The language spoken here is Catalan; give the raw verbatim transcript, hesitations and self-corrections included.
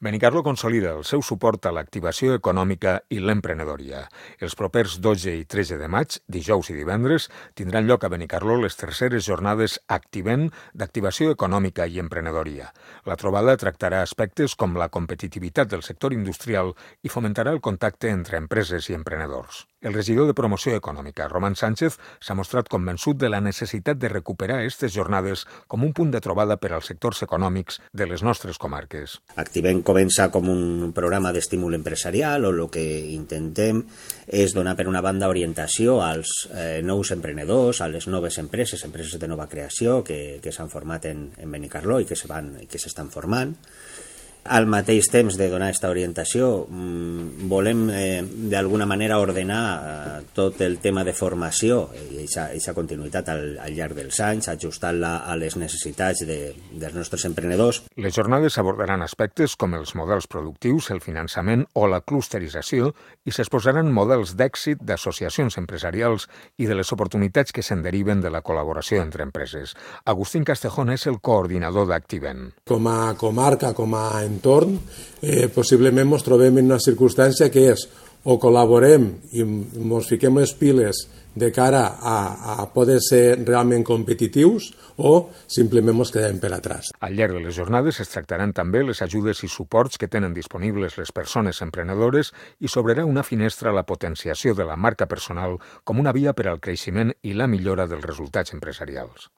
Benicarló consolida el seu suport a l'activació econòmica i l'emprenedoria. Els propers dotze i tretze de maig, dijous i divendres, tindran lloc a Benicarló les terceres jornades Activem d'activació econòmica i emprenedoria. La trobada tractarà aspectes com la competitivitat del sector industrial i fomentarà el contacte entre empreses i emprenedors. El regidor de Promoció Econòmica, Román Sánchez, s'ha mostrat convençut de la necessitat de recuperar aquestes jornades com un punt de trobada per als sectors econòmics de les nostres comarques. Activem comença com un programa d'estímul empresarial on el que intentem és donar per una banda orientació als eh, nous emprenedors, a les noves empreses, empreses de nova creació que, que s'han format en, en Benicarló i que s'estan formant. Al mateix temps de donar aquesta orientació, volem eh, d'alguna manera ordenar eh, tot el tema de formació i aquesta continuïtat al, al llarg dels anys, ajustant-la a les necessitats de, dels nostres emprenedors. Les jornades abordaran aspectes com els models productius, el finançament o la clusterització i s'exposaran models d'èxit d'associacions empresarials i de les oportunitats que se'n deriven de la col·laboració entre empreses. Agustín Castejón és el coordinador d'Activem. Com a comarca, com a entorn, eh, possiblement ens trobem en una circumstància que és o col·laborem i ens fiquem les piles de cara a, a poder ser realment competitius o simplement ens quedem per atràs. Al llarg de les jornades es tractaran també les ajudes i suports que tenen disponibles les persones emprenedores i s'obrirà una finestra a la potenciació de la marca personal com una via per al creixement i la millora dels resultats empresarials.